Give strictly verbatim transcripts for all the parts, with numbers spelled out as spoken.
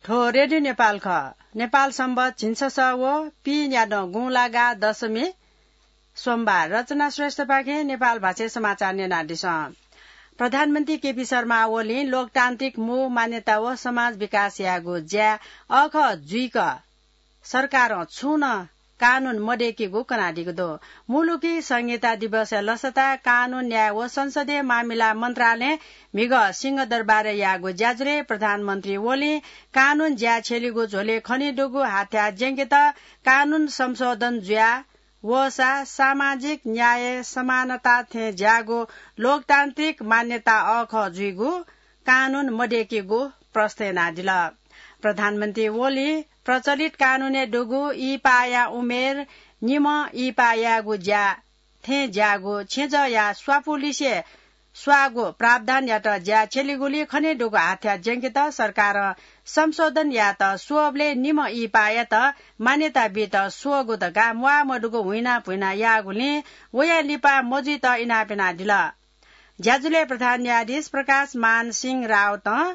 थ्व रेडियो नेपाल खः। नेपाल संवत झिंछसः व पीन्यादँ गुंलागा दशमी सोमबार। रचना श्रेष्ठपाखें नेपाल भाषाय् समाचार न्यनादिसँ। प्रधानमन्त्री केपी शर्मा ओलीं लोकतान्त्रिक मू मान्यता व समाज विकास यायेगु ज्या अःखः जुइक सरकारं छुं नं कानून मदय्‌कीगु कनादीगु दु। मुलुकी संहिता दिवसया लसताय् कानून, न्याय व संसदीय मामिला मन्त्रालयं म्हिगः सिंहदरबारय् याःगु ज्याझ्वलय् प्रधानमन्त्री ओलीं कानून ज्या छ्यलीगु झ्वलय् खनेदुगु हाथ्या ज्यंकेत कानून संशोधन जुया वःसा सामाजिक न्याय, समानता थें ज्याःगु लोकतान्त्रिक मान्यता अःखः जुइगु कानून मदय्‌कीगु प्रश्न यानादिल। प्रधानमन्त्री ओलीं प्रचलित कानूनय् दुगु इहिपाःया उमेर निम्ह इहिपाः यायेगु ज्या थें ज्याःगु छेँजःया स्वापू लिसे स्वाःगु प्रावधानयात ज्या छ्यलीगुली खनेदुगु हाथ्या ज्यंकेत सरकारं संशोधन यायेत स्वःबलय् निम्ह इहिपाःयात मान्यता बीत स्वःगु धकाः म्वाःमदुगु हुइनापुइना याःगुलिं वया लिपा मजुइत इनाप यानादिल। ज्याझ्वलय् प्रधान न्यायाधीश प्रकाश मान सिंह राउतं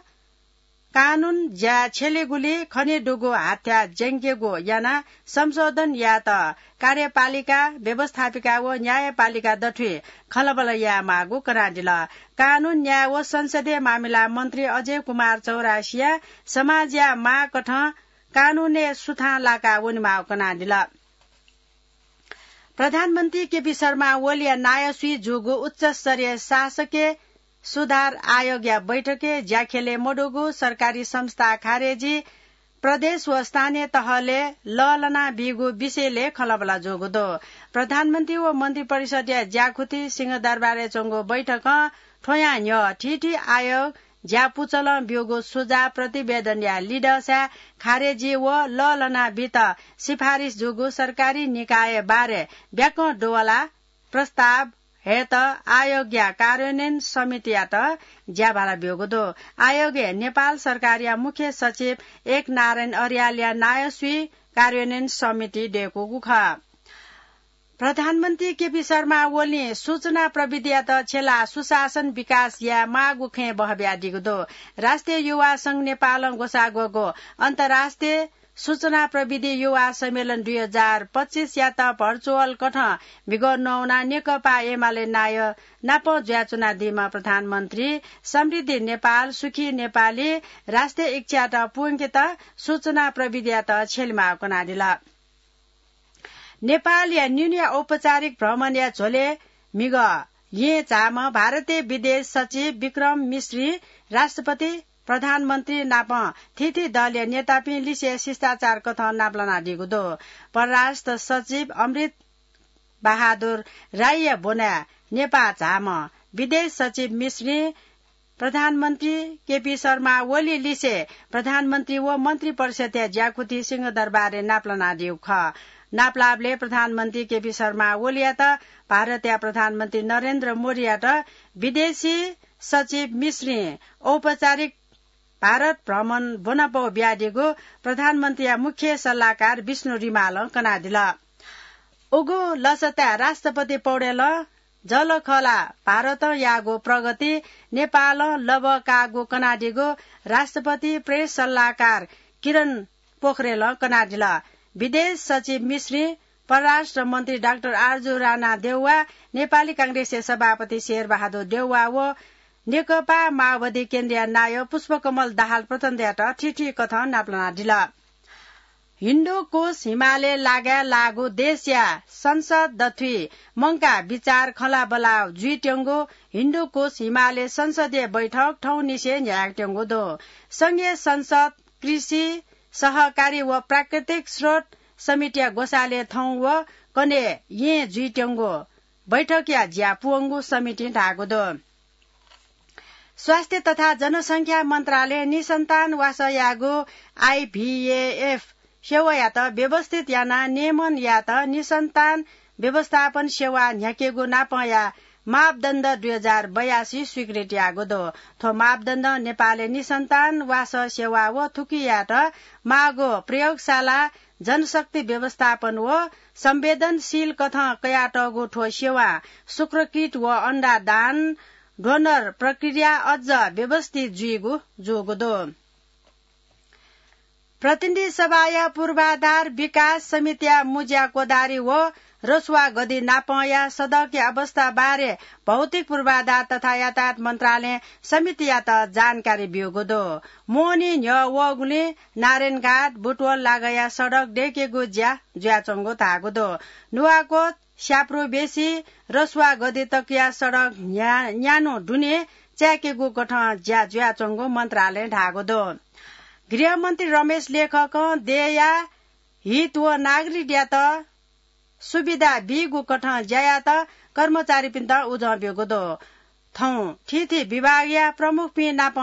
कानून ज्या छ्यलीगुली खनेदुगु हाथ्या ज्यंकेगु यानाः संशोधन यायेत कार्यपालिका, व्यवस्थापिका व न्यायपालिका दथुइ खँल्हाबल्हा यायेमाःगु कनादिल। कानून, न्याय व संसदीय मामिला मन्त्री अजय कुमार चौरासिया समाजया मागकथं कानूनय् सुथां लाका वनेमाःगु कनादिल। प्रधानमन्त्री केपी शर्मा ओलीया नायःसुइ जूगु उच्चस्तरीय शासकीय सुधार आयोगया बैठकय् ज्याख्यलय् मदुगु सरकारी संस्था खारेजी, प्रदेश व स्थानीय तहलय् लःल्हाना बीगु विषयलय् खँल्हाबल्हा जूगु दु। प्रधानमन्त्री व मन्त्रिपरिषदया ज्याकुथि सिंहदरबारय् च्वंगु बैठकं थ्वयां न्ह्यः थीथी आयोग ज्या पुचलं ब्यूगु सुझाव प्रतिवेदनया लिधंसाय् खारेजी व लःल्हाना बीत सिफारिस जूगु सरकारी निकाय बारे ब्याकं दुवाला प्रस्ताव हयेत आयोगया कार्यान्वयन समितियात ज्याभाला ब्यूगु दु। आयोगय् नेपाल सरकारया मुख्य सचिव एकनारायण अर्यालया नायःसुइ कार्यान्वयन समिति दय्‌कूगु खः। प्रधानमन्त्री केपी शर्मा ओलीं सूचना प्रविधियात छ्यलाः सुशासन विकास यायेमाःगु खँय् बहः बियादीगु दु। राष्ट्रिय युवा संघ नेपालं ग्वसाःग्वःगु अन्तर्राष्ट्रिय सूचना प्रविधि युवा सम्मेलन दुई हजार पच्चिसयात भर्चुअल कथं म्हिगः नवानाः नेकपा एमाले नायः नाप जुयाच्वनादीम्ह प्रधानमन्त्री समृद्धि नेपाल, सुखी नेपाली राष्ट्रिय इच्छायात पूवंकेत सूचना प्रविधियात छ्यलेमाःगु कनादिल। नेपालया निन्हुया औपचारिक भ्रमणया झ्वलय् म्हिगः येँ झाःम्ह भारतीय विदेश सचिव विक्रम मिश्री राष्ट्रपति, प्रधानमन्त्री नाप थीथी दलया नेतापिं लिसे शिष्टाचार कथं नापलानादीगु दु। परराष्ट्र सचिव अमृत बहादुर राईया ब्वनाय् नेपाः झाःम्ह विदेश सचिव मिश्रीं प्रधानमन्त्री केपी शर्मा ओली लिसे प्रधानमन्त्री व मन्त्रिपरिषदया ज्याकुथि सिंहदरबारय् नापलानादीगु खः। नापलाःबलय् प्रधानमन्त्री केपी शर्मा ओलीयात भारतया प्रधानमन्त्री नरेन्द्र मोदीयात विदेशी सचिव मिश्रीं औपचारिक भारत भ्रमण ब्वनापौ बियादीगु प्रधानमन्त्रीया मुख्य सल्लाहकार विष्णु रिमालं कनादिल। उगु लसताय् राष्ट्रपति पौडेलं जःलाखःला भारतं याःगु प्रगति, नेपालं लबः काःगु कनादीगु राष्ट्रपति प्रेस सल्लाहकार किरण पोखरेलं कनादिल। विदेश सचिव मिश्रीं परराष्ट्र मन्त्री डाक्टर आरजु राणा देउवा, नेपाली कांग्रेसया सभापति शेरबहादुर देउवा व नेकपा माओवादी केन्द्रया नायः पुष्पकमल दाहाल प्रचण्डयात थीथी कथं नापलानादिल। हिन्दुकुश हिमालय लागाय् लाःगु देशया संसद दथुइ मंकाः बिचाः खँल्हाबल्हा जुइत्यंगु हिन्दुकुश हिमालय संसदीय बैठक थौंनिसें न्ह्याकाच्वंगु दु। संघीय संसद, कृषि, सहकारी व प्राकृतिक स्रोत समितिया ग्वसालय् थौं व कन्हय् येँ जुइत्यंगु बैठकया ज्या पूवंगु समितिं धाःगु दु। स्वास्थ्य तथा जनसंख्या मन्त्रालयं निसन्तान वासः यायेगु आइभीएएफ सेवायात व्यवस्थित यानाः नियमन यायेत निसन्तान व्यवस्थापन सेवा न्ह्याकेगु नापंया मापदण्ड दुई हजार बयासी स्वीकृत याःगु दु। थ्व मापदण्डं नेपालय् निसन्तान वासः सेवा व थुकियात माःगु प्रयोगशाला, जनशक्ति व्यवस्थापन व संवेदनशील कथं कयातःगु थ्व सेवां शुक्रकीट व अण्डा दान, डोनर प्रक्रिया अझ व्यवस्थित जुइगु जूगु दु। प्रतिनिधि सभाया पूर्वाधार विकास समितिया मुज्या कोदारी व रसुवा गद्दी नापंया सडकया अवस्था बारे भौतिक पूर्वाधार तथा यातायात मन्त्रालयं समितियात जानकारी ब्यूगु दु। मोहनी न्ह्यः वःगुलिं नारायणघाट बुटवल लागःया सडक दय्केगु ज्या जुयाच्वंगु धाःगु दु। नुवाकोट स्याप्रुबेसी रसुवा गद्दी तकया सडक न्या-, न्यान्हु दुने चाय्केगु कथं ज्या जुयाच्वंगु मन्त्रालयं धाःगु दु। गृहमन्त्री रमेश लेखकं देय्या हित व नागरिकयात सुविधा बीगु कथं ज्या यायेत कर्मचारीपिन्त उजं ब्यूगु दु। थौं थीथी विभागया प्रमुखपिं नाप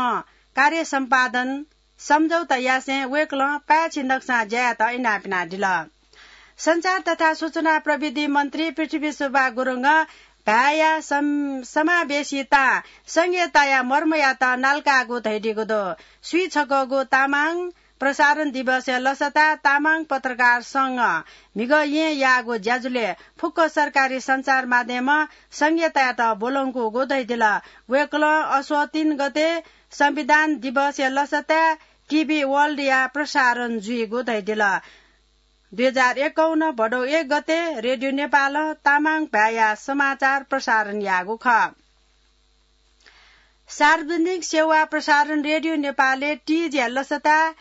कार्य सम्पादन सम्झौता यासें वय्कलं पाय्छि नक्सां ज्या यायेत इनाप यानादिल। सञ्चार तथा सूचना प्रविधि मन्त्री पृथ्वीशोभा गुरुङं भाय्या सम-, समावेशी तां संघीयताया मर्मयात नाल्काःगु धयादीगु दु। स्वीछकःगु तामाङ प्रसारण दिवसया लसताय् तामाङ पत्रकार संघं म्हिगः येँ याःगु ज्याझ्वलय् फुक्क सरकारी सञ्चार माध्यमं संघीयतायात ब्वलंकूगु धयादिल। वय्कलं असोज तीन गते संविधान दिवसया लसताय् टिभी वर्ल्डया प्रसारण जुइगु धयादिल। दुई हजार एकाउन्न भदौ एक गते रेडियो नेपालं तामाङ भाय्या समाचार प्रसारण याःगु खः। सार्वजनिक सेवा प्रसारण रेडियो नेपालय् तीजया लसताय्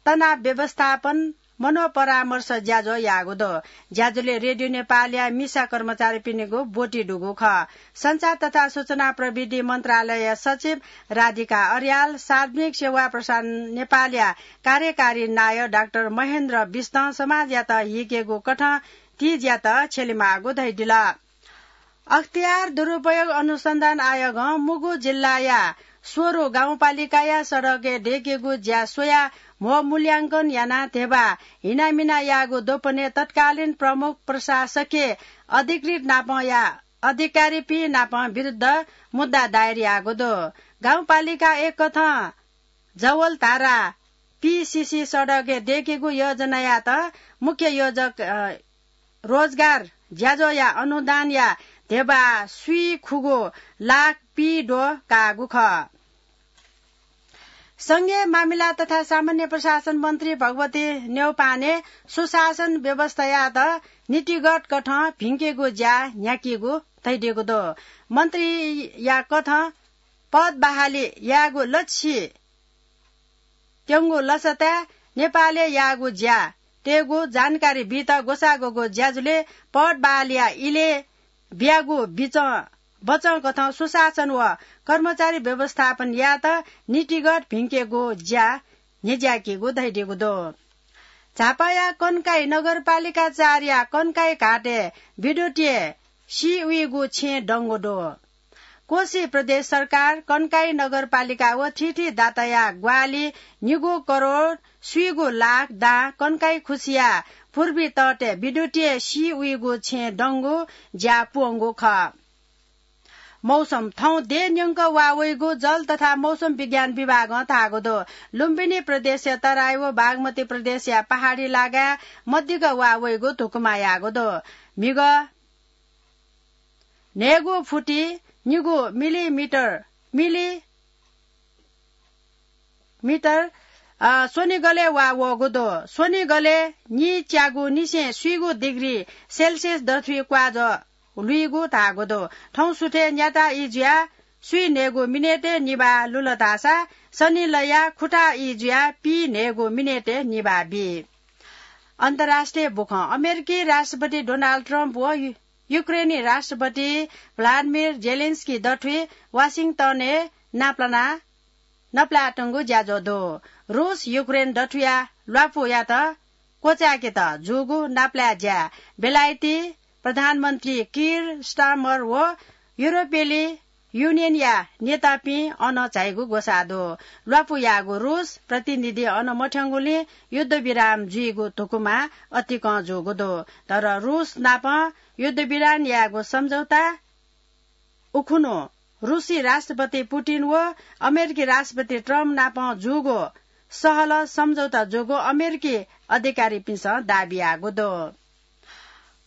तनाव व्यवस्थापन मनोपरामर्श ज्याझ्वः याःगु दु। ज्याझ्वलय् रेडियो नेपालया मिसा कर्मचारीपिनिगु ब्वति दुगु खः। सञ्चार तथा सूचना प्रविधि मन्त्रालयया सचिव राधिका अर्याल, सार्वजनिक सेवा प्रसारण नेपालया कार्यकारी नायः डाक्टर महेन्द्र बिष्टं समाजयात हीकेगु कथं तीजयात छ्यलेमाःगु धयादिल। अख्तियार दुरुपयोग अनुसन्धान आयोगं मुगु जिल्लाया स्वरु गाउँपालिकाया सडकय् दय्केगु ज्या स्वयाः म्हो मूल्यांकन यानाः ध्यबा हिनामिना याःगु द्वपनय् तत्कालीन प्रमुख प्रशासकीय अधिकृत नापं या अधिकारीपिं नाप विरुद्ध मुद्दा दायर याःगु दु। गाउँपालिका एक कथं जवलधारा पीसीसी सडकय् दय्केगु योजनायात मुख्य योजक, अ, रोजगार ज्याझ्वःया अनुदानया ध्यबा स्वीखुगू लाख पीद्वः काःगु खः। संघीय मामिला तथा सामान्य प्रशासन मन्त्री भगवती न्यौपाने सुशासन व्यवस्थायात नीतिगत कथं भिंकेगु ज्या न्ह्याकीगु धयादीगु दु। मन्त्रीया कथं पद बहाली यायेगु लक्ष्य त्यंगु लसताय् नेपालय् याःगु ज्या तयेगु जानकारी बीत ग्वसाः ग्वःगु ज्याझ्वलय् पद बहालीया इलय् बियागु बिचं बचं कथं सुशासन व कर्मचारी व्यवस्थापन यायेत नीतिगत भिंकेगु ज्या न्ह्यज्याकीगु धयादीगु दु। झापाया कन्काई नगरपालिका चारया कन्काई घाटय् विद्युतीय सी उइगु छेँ दंगु दु। कोशी प्रदेश सरकार, कन्काई नगरपालिका व थीथी दाताया ग्वाहालि निगू करोड स्वीगू लाख दां कन्काई खुसिया पूर्वी तटय् विद्युतीय सी उइगु छेँ दंगु ज्या पूवंगु खः। मौसम, थौं देय् न्यंक वा वइगु जल तथा मौसम विज्ञान विभागं धाःगु दु। लुम्बिनी प्रदेशया तराई व बागमती प्रदेशया पहाडी लागाय् मदिक्क वा वइगु धुकुमा याःगु दु। म्हिगः न्हय्गू फुटि निगू मिलिमिटर, मिलि मिटर, अ, स्वनिगलय् वा वःगु दु। स्वनिगलय् निच्यागू निसें स्वीगू डिग्री सेल्सियस दथुइ क्वाजः लुइगु धाःगु दु। थौं सुथय् न्याता ई जुयाः स्वीन्हय्गू मिनेटय् निभाः लुल धाःसा सनिलया खुथाः ई जुयाः पीन्हय्गू मिनेटय् निभाः बी। अन्तर्राष्ट्रिय बुखँ, अमेरिकी राष्ट्रपति डोनाल्ड ट्रम्प व यु-, युक्रेनी राष्ट्रपति भ्लादिमिर जेलेन्स्की दथुइ वाशिंटनय् नापलाना नपलायेतंगु ज्याझ्वः दु। रूस युक्रेन दथुया ल्वापुयात क्वचाय्केत जूगु नापलाये ज्या बेलायती प्रधानमन्त्री किर स्टारमर व युरोपेली युनियनया नेतापिं अन झाइगु ग्वसाः दु। ल्वापु याःगु रूस प्रतिनिधि अन मथ्यंगुलिं युद्धविराम जुइगु धुकुमा अतिकं जूगु दु। तर रूस नाप युद्धविराम यायेगु सम्झौता उखुन्हु रूसी राष्ट्रपति पुतिन व अमेरिकी राष्ट्रपति ट्रम्प नाप जूगु सहल सम्झौता जूगु अमेरिकी अधिकारीपिन्सं दाबी याःगु दु।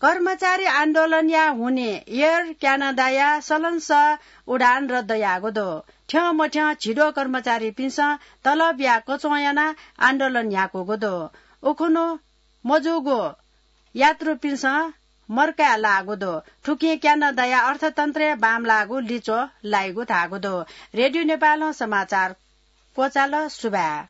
कर्मचारी आन्दोलनया हुनिं एयर क्यानाडाया सलंसः उडान रद्द याःगु दु। थ्यंमथ्यं झिद्वः कर्मचारीपिन्सं तलबया कचवं यानाः आन्दोलन याकूगु दु। उखुन्हु मजूगु यात्रुपिन्सं मर्काय् लाःगु दु। थुकिं क्यानाडाया अर्थतन्त्रय् बांमलाःगु लिच्वः लाइगु धाःगु दु। रेडियो नेपालं समाचार क्वचाल। सुभाय्।